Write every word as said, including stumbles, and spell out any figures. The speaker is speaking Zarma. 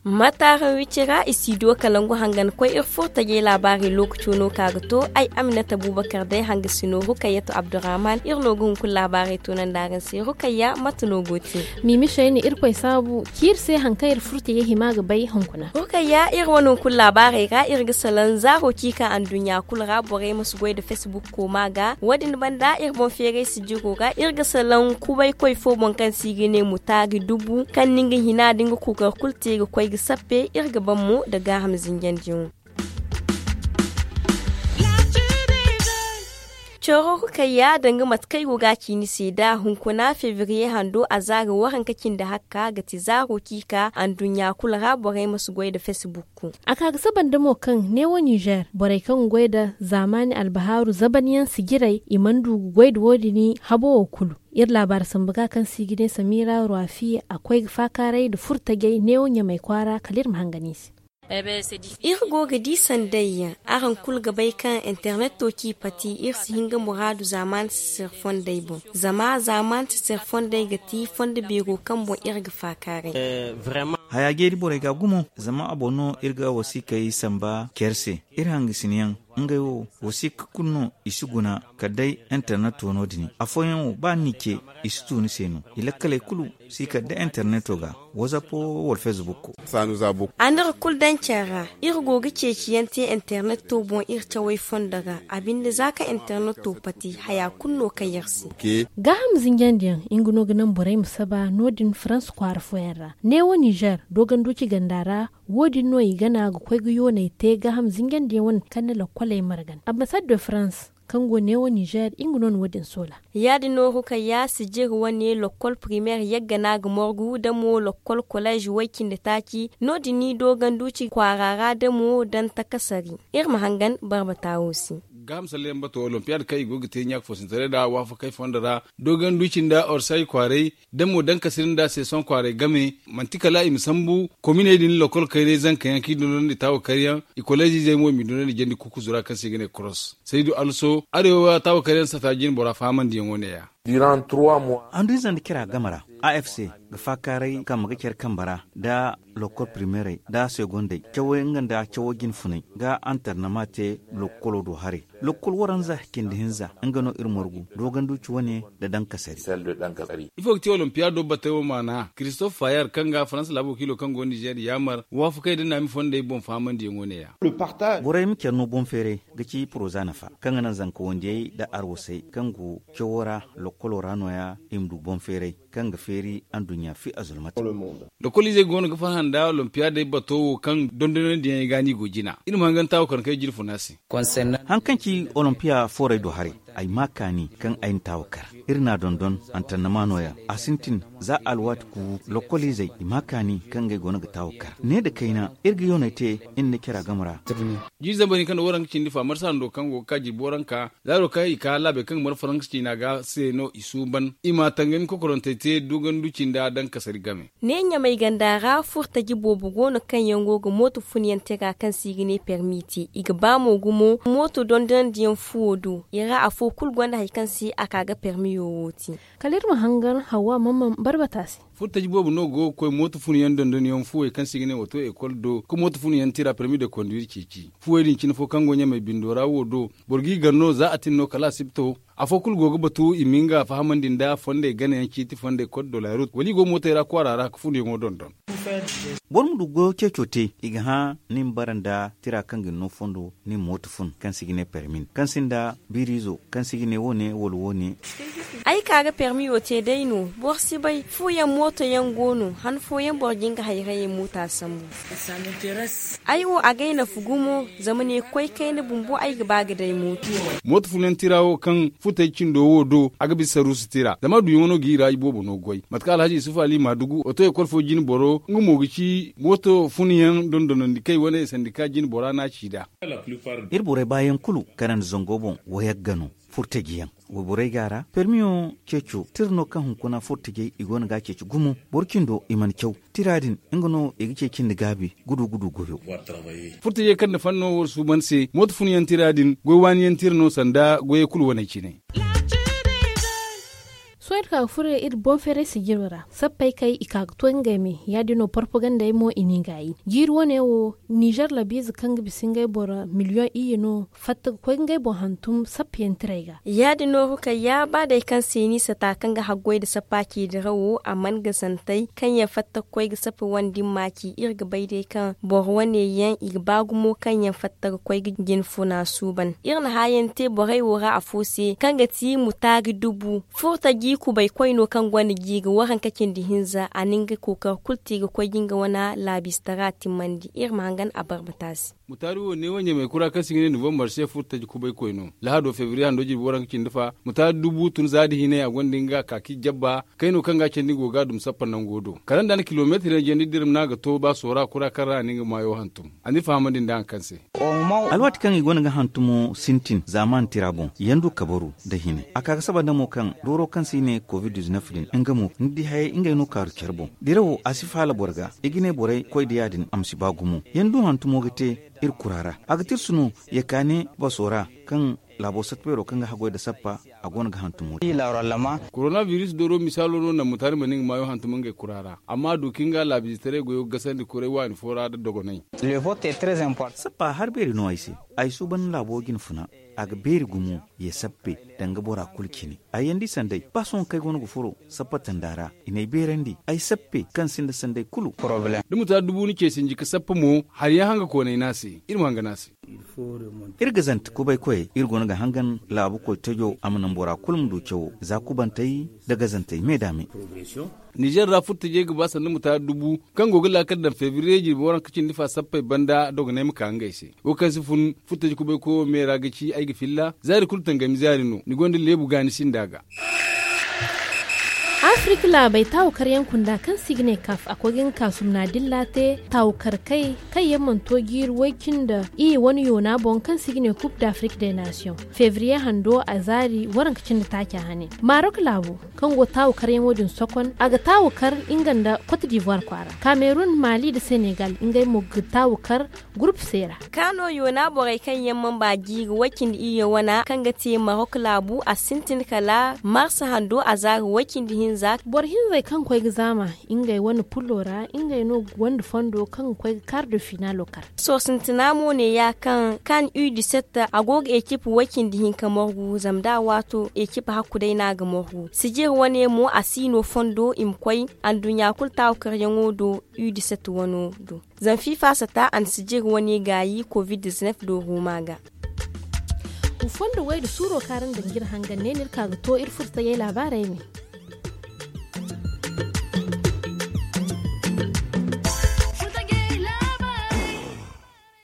Mataara wicira i si du kalangu hangan koy iri furo tajay laabaarey lookaco no ka ga to. Ay aminata buubakar day hanga si no rukayya to abdurrahman iri no ga hunkuna laabaarey to nanda araŋ se rukayya mate no go te. Miimi shayni irkoy saabu ciiri se hari kaŋ iri furo tajay hima ga bay hunkuna. Rukayya iri wane hunkuna laabaarey ra iri ga salaŋ zaaro ciika anduɲɲa kulu ra borey ma si goy nda facebook kooma ga wo- din banda iri boŋ feeray sijiro ra iri ga salaŋ kubaykoy fo boŋ kaŋ se i ga ne mutaari dubu kaŋ na nga hina nda nga kookari kulu te ga koy ga sappe iri ga ban mo nda gaaham zinjandiyaŋo. Coro kayya danga mate kaŋ ay go ga a ci ni se da hunkuna febriye hando a zaari waranka cindi hakka ga ti zaaro ciika anduɲɲa kulu ra borey ma si goy nda facebook. A ka ga saba nda mo kaŋ neewo nizer borey kaŋ ga goy nda zaamaani albahaaru zabanyaŋ sijirey i mana du ga goy nda wo- din habo wo kulu. Iri laabaari sambu ga kaŋ se i ga ne samira ruwafi a koy ga faakaaray nda furo tajay neewo ɲamay kwaara kala iri ma hangan i se. Iri go ga di sanday yaŋ araŋ kulu ga bay kaŋ interneto ci pati iri si hin ga muraadu zaamaani sisir fondey boŋ. Zama zaamaani sisir fondey ga ti fondo beero kaŋ boŋ iri ga faakaaray. Haya jeeri borey ga gumo zama a boŋ no iri ga wasiikey samba care se. Iri hangasinayaŋ ngey wo wasiika kulu no i si guna kala day interneto no- din afooyaŋ wo ba ni ce i si tu ni se no. I lakkaley kulu si kala day interneto ga whatsapp wala facebook. A n'iri kulu daŋ care ra. Iri go ga ceeciyaŋ te interneto boŋ iri cawey fondo ra a binde za kaŋ interneto pati haya kulu no kaŋ iri se. Gaaham zinjandiyaŋ nga no ga naŋ borey ma saba no- din farans kwaara fooyaŋ ra neewo nizer dooganduuci ganda ra. Wo- din no i gana ga koy ga yooney te gaaham zinjandiyaŋ wane kaŋ na lokkoley margan ambasaddo farans kaŋ go neewo nizer nga no na wo- din soola. Ya- din no rukayya sijiri wane lokkol primeer yagga no a ga morgu da mo lokkol kolez way-cindi-taaci no- din i dooganduuci kwaara ra da mo daŋ takasari. Iri ma hangan barbata wo se. Gaaham salleyaŋ bato olimpiyaad kaŋ i go ga te ɲaaka foosintaray nd'a waafakey fondo ra dooganduuci nda orsay kwaaray da mo dankasiri nda seesoŋ kwaaray game. Manti kala i ma sambu kominey din lokol kaynay zanka yaŋ kaŋ i dondonandi taawakaryaŋ i koleezizey mo i m'i dondonandi jandi kukuzu ra kaŋ se i ga ne koros saydu also arewa taawakaryaŋ sata jinbora fahamandiyaŋo ne- ya. Handu-ize nda care a game ra afc ga faakaaray kaŋ ma ga care kambe ra nda lokol primeerey nda segondey cawey nga nda cawo jinfunay ga antarnama te lokolo do haray. Lokol waranza cindi hinza nga no iri margu dooganduuci wane nda dankasari. Ifo ga ti olimpiyaado batey wo maana kiristof fayar kaŋ ga faransa laabo wakiilo kaŋ go nizer yaamar waafakey nda naami fondey boŋ fahamandiyaŋo ne- ya. Borey ma care no boŋ feeray ga ci poroza nafa kaŋ ga naŋ zanka wandiyey nda arwasey kaŋ go cawo ra lokolo ra no- ya i ma du boŋ feeray kaŋ ga feeri anduɲɲa fi azulmati. Lokoliizey go no ga farhã nda olimpiyaadey bato wo kaŋ dondonandiyaŋey ga no i go jina iri ma hangan taawo kaŋ kay jirfuna se. Haŋ kaŋ ci olimpiya foorey do haray ay ma kaani kaŋ ay na taawo kar. Iri n'a dondon antannama no- ya a sintin za alwaati kuubu lokoliizey i ma kaani kaŋ ngey go no ga taawo kar ne nda kayna iri ga yooney te iri nda care a game ra. Jiiri zambar hinka nda waranka cindi fa marsa hando kaŋ go ga ka jirbi waranka zaaro kaŋ i ka laabey kaŋ ga mara faransa ciina ga se no i suuban i ma tangami kokorantey te duganduci nda dankasari game. Ne ɲamay ganda ra furtaji boobo go no kaŋ yaŋ go ga mooto funyaŋ tira kaŋ se i ga ne permi te i ga ba mo gumo mooto dondonandiyaŋ fuwo do i ra afo kulu gonda hari kaŋ se a ka ga permiyo wo te. Kala iri ma hangan hawa mamman barbata se. Furtaji boobo no go ga koy mooto funyaŋ dondonyaŋ fuwey kaŋ se i ga ne wato ekol do ka mooto funyaŋ tira permi de konduwir ceeci fuwey din cine fo kaŋ go ɲamay bindo ra wo do boro g'i gar no za a tin no kala asibto. Afo kulu go ga batu i ma nga fahamandi nda fondey ganayaŋ ciiti fondey kod dolarut wala i go mootey ra kwaara ra ka funyaŋo dondon. Boro ma du goyo ceeco te i ga hã ni ma bara nda tira kaŋ ga ni no fondo ni ma mooto fun kaŋ se i ga ne permin kaŋ sinda biiriizo kaŋ se i ga ne wo- ne wala wo- ne. Ay ka ga permiyo te day no boro si bay fuuyaŋ mootoyaŋ go no han fooyaŋ boro ga nga hayrayey moota sambu. Ay wo agay nafu gumo zama ne koy kayna bumbo ay ga ba ga day mooto. Mooto funayaŋ tira wo kaŋ futay cindo wo do a ga bisa saruusu tira zama duyaŋo no ga i ra i boobo no goy mate kaŋ alhaji isufu ali maadugu oto ekol fo jine boro nga mo ga ci mooto funayaŋ dondonandi kay wane sandika jine bora no a ci nd'a. Iri borey baayaŋ kulu kaŋ na zango boŋ wayagga no. Furtajiyaŋ wayborey ga a ra permiyo ceeco tira no kaŋ hunkuna furtajey i go no ga a ceeci gumo boro cindo i mana caw. Tira din nga no i ga ceeci nda gaabi gudu gudu goyo. Furtajey kaŋ na fanno war suuban se mooto funyaŋ tira din goy waaniyaŋ tira no sanda goyey kulu wane cine. Sohõ iri ka ga furo iri boŋ feeray sijiro ra sappey kay i ka ga to ngey me ya- din no porpagandey mo i n'i gaayi. Jiiri wane wo nizer labiize kaŋ ga bisa ngey boro miliyoŋ iyye no fatta ga koy ga ngey boŋ hantum sappayaŋ tiray ga. Ya- din no rukayya ba day kaŋ se ni sata kaŋ ga haggoy nda sappa ci dirawo a man ga santay kaŋ yaŋ fatta ga koy ga sappa wane din ma ci iri ga bay day kaŋ boro wane yaŋ i ga ba gumo kaŋ yaŋ fatta ga koy ga jina funa suuban. Iri na haayaŋ te borey wo ra afo se kaŋ ga ti mutaari dubu furtaji kubay koy no kaŋ gonda jiiri waranka cindi hinza a na nga kookari kulu te ga koy ga nga wane laabiistara timmandi iri ma hangan a barbata se. Mutaari wo neewo ɲamay kura kaŋ se i ga ne novembar se furtaji kubay koy no lahado febriye hando jirbi waranka cindi fa mutaari dubu tun za nda hinay a gonda nga kaaki jabba kayno kaŋ ga a candi go ga a dum sappa nango do kala nda a na kilomeetir yaŋ jandi dirma no a ga to ba soora kura kaŋ ra a na nga maayo hantum a n'iri fahamandi nda haŋ kaŋ se. Alwaati kaŋ i go no ga hantumo sintin zaaman tira boŋ yaŋ du kabaru nda hine a ka ga saba nda mo kaŋ dooro kaŋ se i ne covid-19 din nga mo ni di hayey ngey no kaaru care boŋ dirawo a si faala boro ga i ga ne borey koy da ya- din a ma si ba gumo yaŋ du hantumo ga te iri kura ra a ga tirsu no ya ka ne baso ra kaŋ laabo satta beero kaŋ ga haggoy nda sappa a go no ga hantumo te. Koronabiris dooro misaalo no naŋ mutaari ma ne nga maayo hantum ngey kura ra amma a du ka nga laabiizitaray goyo gasandi kuray waani fo ra nda dogonay. Sappa hari beeri no ay se. Ay suuban laabo jine funa a ga beeri gumo ye sappe danga bora kulu cine. Ay yaŋ di sanday ba sohõ kaŋ ay go no ga furo sappa tanda ra i n'ay beerandi ay sappe kaŋ sinda sanday kulu. Da mutaari dubu ni ce sinji ga sappa mo hari yaŋ hanga koonay no a se iri ma hanga no a se. Iri ga zante kubay koyey iri go no ga hangan laabu koy tajo a ma naŋ bora kulu ma du cawo za kubantey nda gazantey me da me. Nizer ra furtajey ga ba sanda mutaari dubu kaŋ go ga laakal daŋ febriye jirbi waranka cindi fa sappey banda dogonay ma ka ngey se wo kaŋ si fun furtaji kubay koyo me ra ga ci ay ga filla zaari kulu tangami zaari no ni gonda leebu ga ni sinda ga. Afirika laabey taawukaryaŋ kunda kaŋ se i ga ne kaf a koy ga nga kaasumna dilla te taawukar kay kaŋ yaŋ mana to jiiri way-cindi iyye wane yoona boŋ kaŋ se i ga ne coupe d'afrique des nations febriye hando a zaari waranka cindi taaca hane marok laabo kaŋ go taawukaryaŋo din sokon a ga taawukar nga nda cote d'ivoire kwaara cameroun mali nda senegal ngey mo ga taawukar groupe se ra. Kaano yoona borey kaŋ yaŋ mana ba jiiri way-cindi iyye wana kaŋ ga te marok laabu a sintin kala mars hando a zaari way-cindi hinza. Boro hinzey kaŋ koy ga zaama ngey wane pullo ra ngey no ga gonda fondo kaŋ ga koy ga kaari do finaalo kar. Sohõ sintina mo neeya kaŋ kan u dix-sept a go ga ekip way-cindi hinka morgu zama da a waato ekip hakku day no a ga morgu sijir wane mo a si no fondo i ma koy anduɲɲa kulu taawakaryaŋo do u dix-sept wano do. Zama fifa sata a na sijir wane gaayi covid-19 do roma ga. Wa fondo wayda suuro kaŋ araŋ daŋ ga iri hangan ne no iri ka ga to iri furtayey laabaarey me.